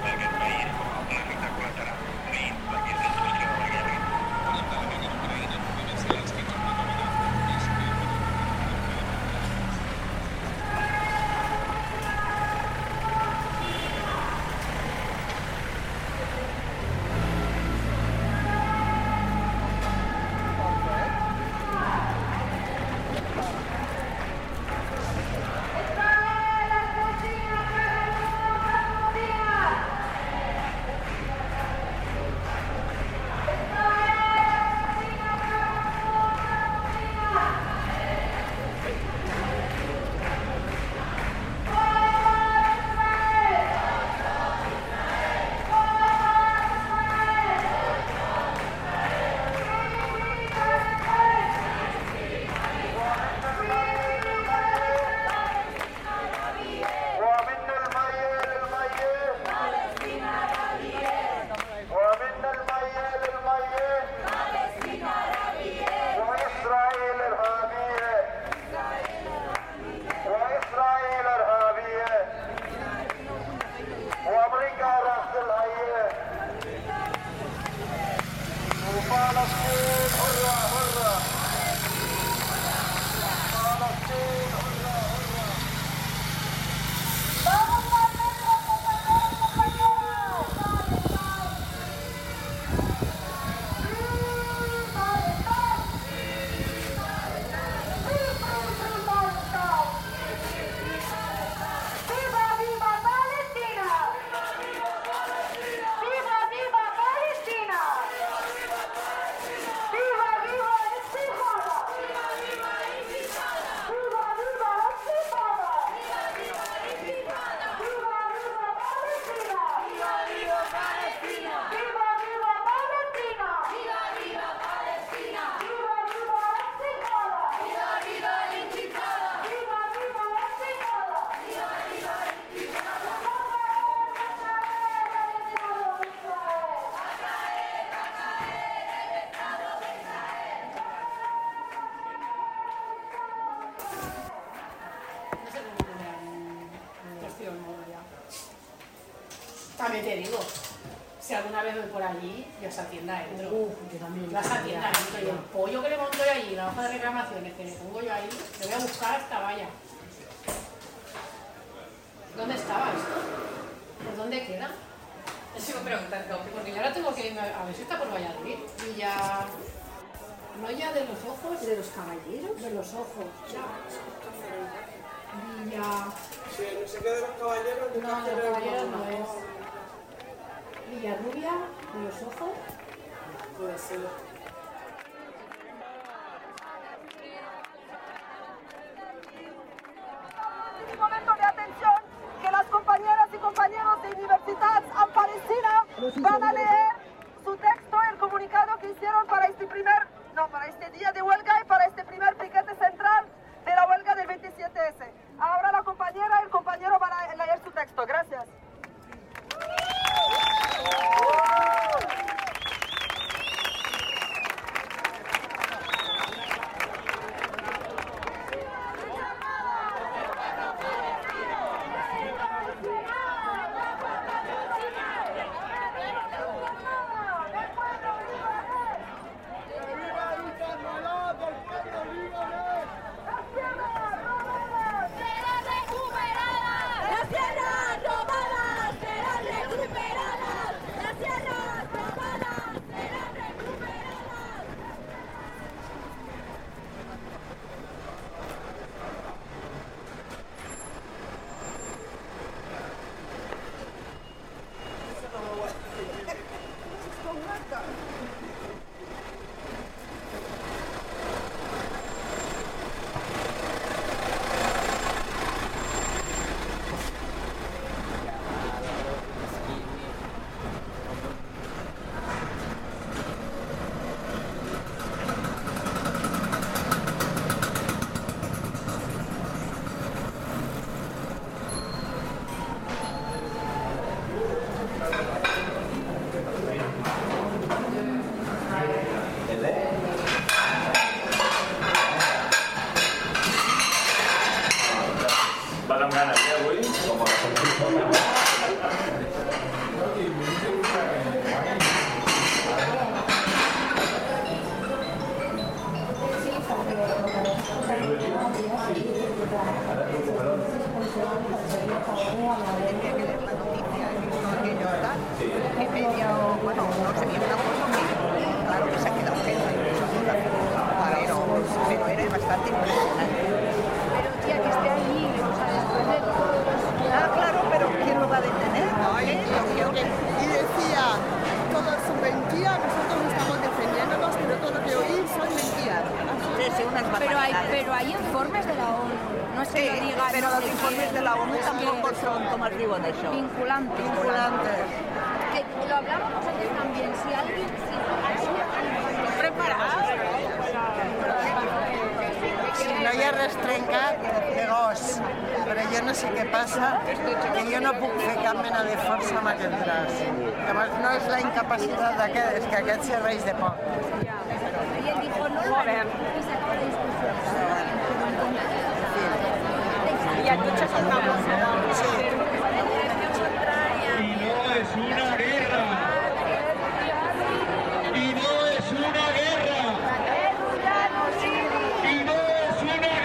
también te digo, si alguna vez voy por allí, yo esa tienda entro. Yo también. Yo a esa tienda entro y el pollo que le monto yo allí, la hoja de reclamaciones que le pongo yo ahí, le voy a buscar hasta vaya. ¿Dónde estaba esto? ¿Por dónde queda? Eso me preguntan, porque yo ahora tengo que irme a ver si está por Valladolid. Villa... ¿No ya de los ojos? ¿De los caballeros? De los ojos. Villa... Sí, no sé qué de los caballeros. No, de los caballeros no es. Villarrubia, de los ojos. Puede ser. Un momento de atención, que las compañeras y compañeros de Universitat en Palestina van a leer su texto, el comunicado que hicieron para este día de huelga y para este primer piquete central de la huelga del 27S. Ahora la compañera y el compañero van a leer su texto. Gracias. Pero hay informes de la ONU. No es que lo diga, pero no los sé informes quién, de la ONU es tampoco que son, ¿cómo escribo de eso? Vinculantes. Vinculantes. Lo hablábamos antes también. Si alguien... Preparado. Si no hi ha res trencat, de gos. Però jo no sé què passa, que jo no puc fer cap mena de força amb aquest braç. Llavors no és la incapacitat d'aquest, és que aquest serveix de poc. Y él dijo, no lo haré. Y se acabó la discusión. Y el coche es una cosa. Sí. Y no es una guerra. Y no es una guerra. Y no es una guerra.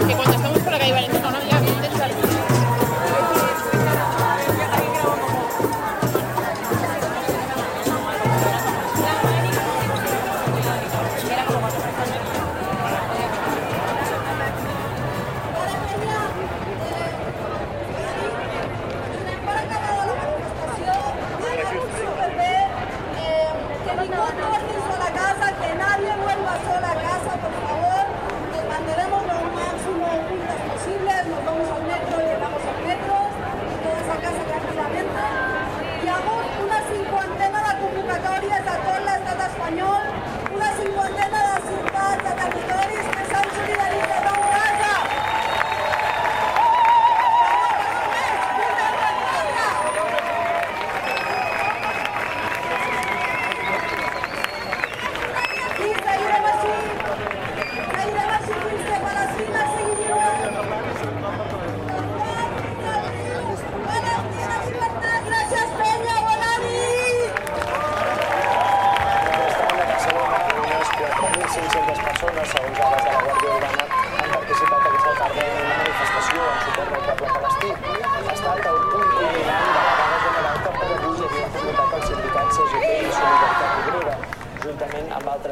Que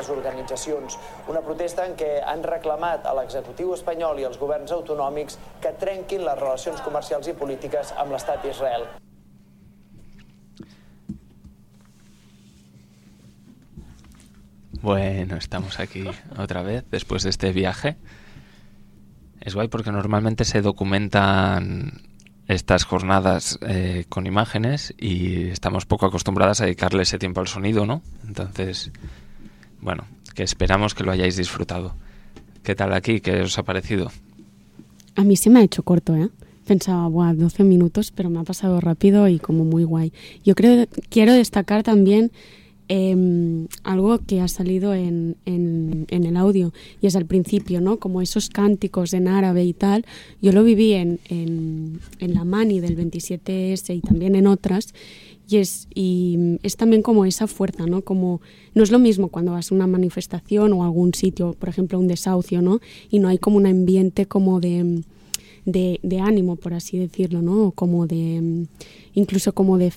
aquestes organitzacions. Una protesta en què han reclamat a l'executiu espanyol i als governs autonòmics que trenquin les relacions comercials i polítiques amb l'estat d'Israel. Bueno, estamos aquí otra vez después de este viaje. Es guay porque normalmente se documentan estas jornadas con imágenes y estamos poco acostumbradas a dedicarle ese tiempo al sonido, ¿no? Entonces, bueno, que esperamos que lo hayáis disfrutado. ¿Qué tal aquí? ¿Qué os ha parecido? A mí se me ha hecho corto, ¿eh? Pensaba, 12 minutos, pero me ha pasado rápido y como muy guay. Yo quiero destacar también algo que ha salido en el audio, y es al principio, ¿no? Como esos cánticos en árabe y tal. Yo lo viví en la Mani del 27S y también en otras, y es también como esa fuerza, ¿no? Como no es lo mismo cuando vas a una manifestación o a algún sitio, por ejemplo un desahucio, ¿no? Y no hay como un ambiente como de ánimo, por así decirlo, ¿no? Como incluso como de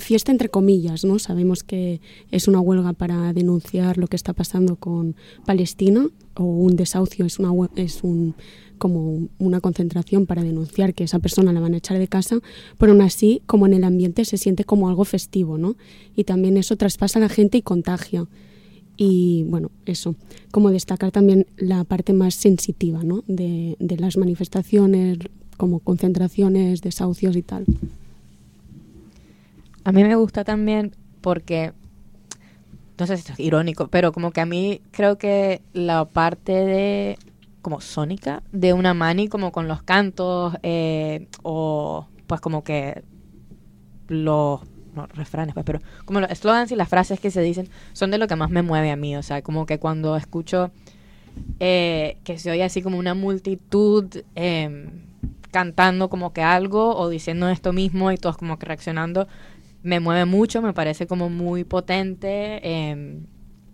fiesta entre comillas, ¿no? Sabemos que es una huelga para denunciar lo que está pasando con Palestina, o un desahucio es como una concentración para denunciar que esa persona la van a echar de casa, pero aún así, como en el ambiente se siente como algo festivo, ¿no? Y también eso traspasa a la gente y contagia. Y bueno, eso, como destacar también la parte más sensitiva, ¿no? de las manifestaciones, como concentraciones, desahucios y tal. A mí me gusta también porque, no sé si esto es irónico, pero como que a mí creo que la parte de como sónica de una Mani, como con los cantos o pues como que los refranes, pues, pero como los slogans y las frases que se dicen son de lo que más me mueve a mí. O sea, como que cuando escucho que se oye así como una multitud cantando como que algo o diciendo esto mismo y todos como que reaccionando, me mueve mucho, me parece como muy potente, e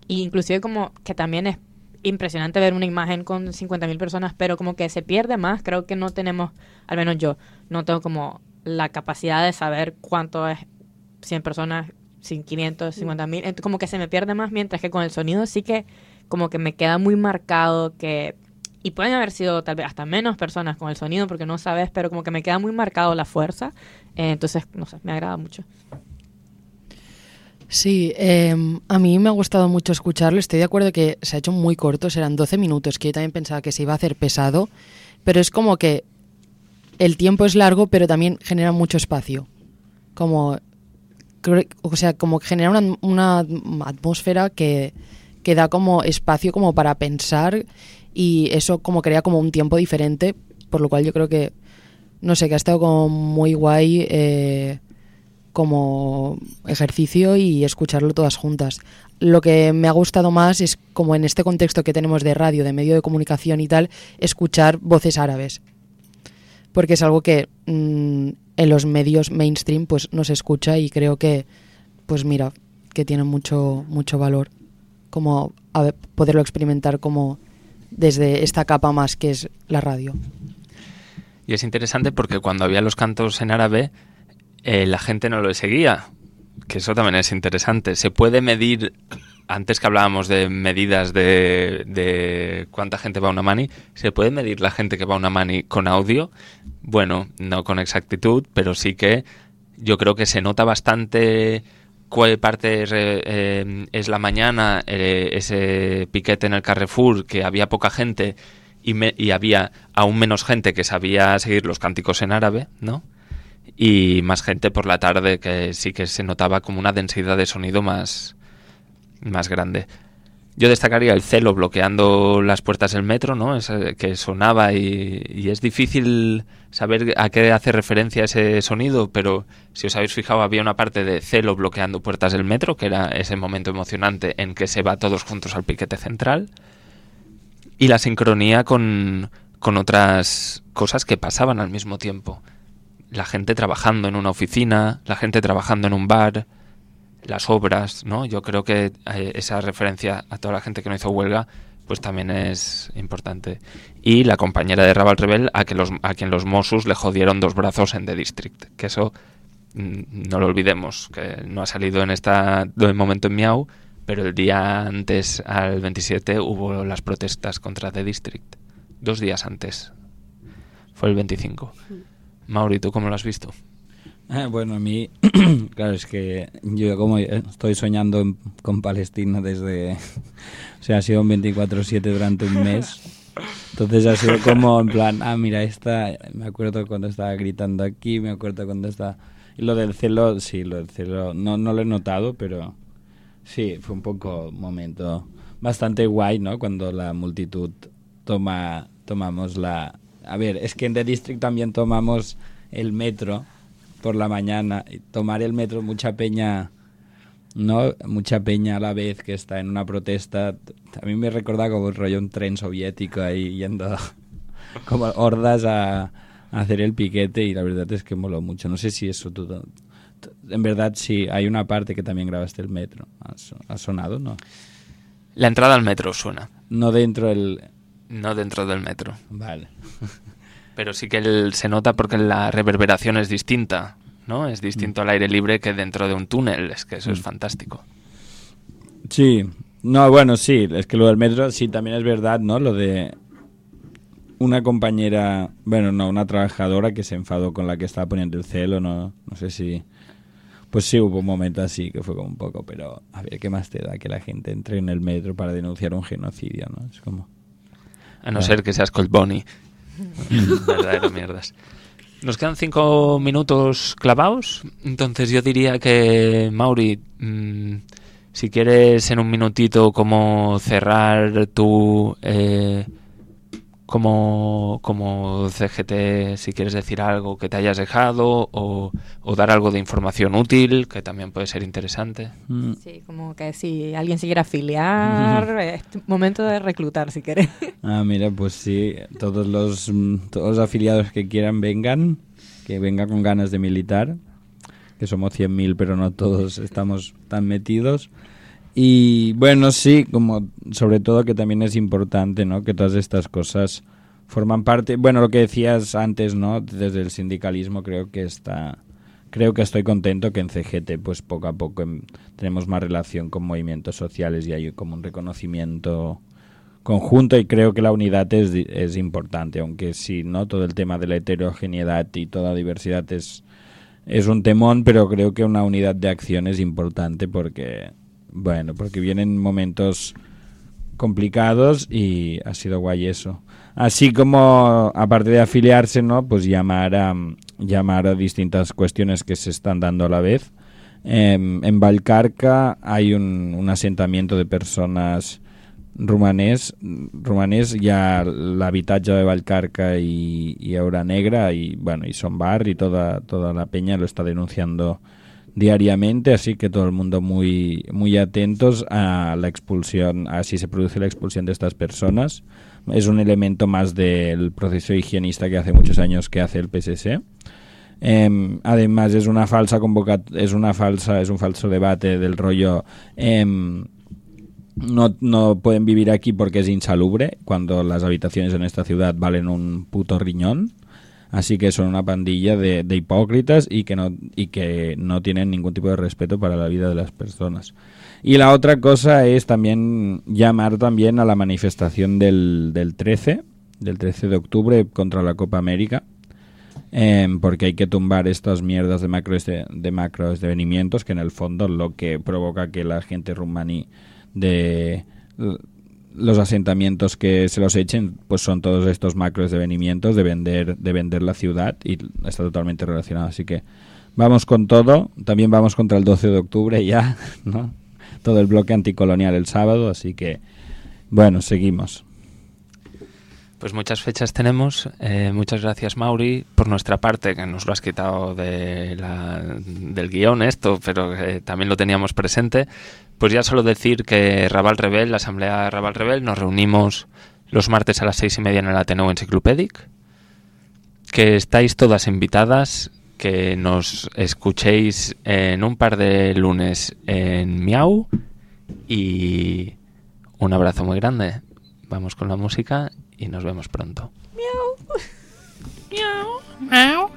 inclusive como que también es impresionante ver una imagen con 50.000 personas, pero como que se pierde más. Creo que no tenemos, al menos yo, no tengo como la capacidad de saber cuánto es 100 personas, 500, 50.000, como que se me pierde más, mientras que con el sonido sí que como que me queda muy marcado que, y pueden haber sido tal vez hasta menos personas con el sonido porque no sabes, pero como que me queda muy marcado la fuerza, entonces, no sé, me agrada mucho. Sí, a mí me ha gustado mucho escucharlo. Estoy de acuerdo que se ha hecho muy corto, serán 12 minutos, que yo también pensaba que se iba a hacer pesado, pero es como que el tiempo es largo, pero también genera mucho espacio. Como que genera una atmósfera que da como espacio como para pensar, y eso como crea como un tiempo diferente, por lo cual yo creo que, no sé, que ha estado como muy guay como ejercicio y escucharlo todas juntas. Lo que me ha gustado más es, como en este contexto que tenemos de radio, de medio de comunicación y tal, escuchar voces árabes, porque es algo que en los medios mainstream pues no se escucha, y creo que, pues mira, que tiene mucho valor como poderlo experimentar como desde esta capa más que es la radio. Y es interesante porque cuando había los cantos en árabe, la gente no lo seguía, que eso también es interesante. Se puede medir, antes que hablábamos de medidas de cuánta gente va a una Mani, ¿se puede medir la gente que va a una Mani con audio? Bueno, no con exactitud, pero sí que yo creo que se nota bastante cuál parte es la mañana, ese piquete en el Carrefour, que había poca gente y había aún menos gente que sabía seguir los cánticos en árabe, ¿no? Y más gente por la tarde, que sí que se notaba como una densidad de sonido más grande. Yo destacaría el celo bloqueando las puertas del metro, ¿no? Que sonaba y es difícil saber a qué hace referencia ese sonido, pero si os habéis fijado, había una parte de celo bloqueando puertas del metro, que era ese momento emocionante en que se va todos juntos al piquete central, y la sincronía con otras cosas que pasaban al mismo tiempo. La gente trabajando en una oficina, la gente trabajando en un bar, las obras, ¿no? Yo creo que esa referencia a toda la gente que no hizo huelga pues también es importante. Y la compañera de Rabal Rebel a quien los Mossos le jodieron 2 brazos en The District, que eso no lo olvidemos, que no ha salido en de momento en Miau, pero el día antes, al 27, hubo las protestas contra The District. 2 días antes. Fue el 25. Mauri, ¿tú cómo lo has visto? Bueno, a mí, claro, es que yo como estoy soñando con Palestina desde... O sea, ha sido un 24/7 durante un mes. Entonces ha sido como en plan, mira, me acuerdo cuando estaba gritando aquí, me acuerdo cuando estaba... Y lo del celo, sí, lo del celo, no lo he notado, pero sí, fue un poco un momento bastante guay, ¿no? Cuando la multitud tomamos la... A ver, es que en The District también tomamos el metro por la mañana. Y tomar el metro, mucha peña, ¿no? Mucha peña a la vez que está en una protesta. A mí me recuerda como un rollo un tren soviético ahí yendo como hordas a hacer el piquete, y la verdad es que moló mucho. No sé si eso en verdad sí, hay una parte que también grabaste el metro. ¿Ha sonado, no? La entrada al metro suena. No dentro del metro. Vale. Pero sí que se nota porque la reverberación es distinta, ¿no? Es distinto al aire libre que dentro de un túnel. Es que eso es fantástico. Sí. No, bueno, sí. Es que lo del metro sí también es verdad, ¿no? Lo de una compañera, bueno, no, una trabajadora que se enfadó con la que estaba poniendo el celo, no sé si... Pues sí, hubo un momento así que fue como un poco, pero a ver, ¿qué más te da que la gente entre en el metro para denunciar un genocidio, no? Es como... A no ser que seas Colt Bonnie. Verdadero mierdas. Nos quedan 5 minutos clavados, entonces yo diría que, Mauri, si quieres en un minutito como cerrar tu... como CGT, si quieres decir algo que te hayas dejado o dar algo de información útil, que también puede ser interesante. Sí, como que si alguien se quiere afiliar, es momento de reclutar si quieres. Mira, pues sí, todos los afiliados que quieran que vengan con ganas de militar, que somos 100.000, pero no todos estamos tan metidos. Y bueno, sí, como sobre todo que también es importante, ¿no? Que todas estas cosas forman parte, bueno, lo que decías antes, ¿no? Desde el sindicalismo creo que estoy contento que en CGT pues poco a poco tenemos más relación con movimientos sociales y hay como un reconocimiento conjunto, y creo que la unidad es importante, aunque sí, ¿no? Todo el tema de la heterogeneidad y toda la diversidad es un temón, pero creo que una unidad de acción es importante porque vienen momentos complicados y ha sido guay eso. Así como, aparte de afiliarse, ¿no? Pues llamar a distintas cuestiones que se están dando a la vez. En Vallcarca hay un asentamiento de personas romanès, ya l'habitatge de Vallcarca y Aura Negra y Son Bar y toda la peña lo está denunciando diariamente, así que todo el mundo muy, muy atentos a la expulsión, a si se produce la expulsión de estas personas. Es un elemento más del proceso higienista que hace muchos años que hace el PSC. Además es un falso debate del rollo no pueden vivir aquí porque es insalubre, cuando las habitaciones en esta ciudad valen un puto riñón. Así que son una pandilla de hipócritas y que no tienen ningún tipo de respeto para la vida de las personas. Y la otra cosa es también llamar también a la manifestación del 13 de octubre contra la Copa América, porque hay que tumbar estas mierdas de macro esdevenimientos que en el fondo lo que provoca que la gente rumaní de los asentamientos que se los echen pues son todos estos macro esdevenimientos de vender la ciudad, y está totalmente relacionado, así que vamos con todo. También vamos contra el 12 de octubre ya, ¿no? Todo el bloque anticolonial el sábado, así que bueno, seguimos. Pues muchas fechas tenemos. Muchas gracias, Mauri. Por nuestra parte, que nos lo has quitado del guión esto, pero también lo teníamos presente. Pues ya solo decir que Raval Rebel, la asamblea Raval Rebel, nos reunimos los martes a las 6:30 en el Ateneu Encyclopedic. Que estáis todas invitadas, que nos escuchéis en un par de lunes en Miau. Y un abrazo muy grande. Vamos con la música y nos vemos pronto. Miau. Miau. Miau.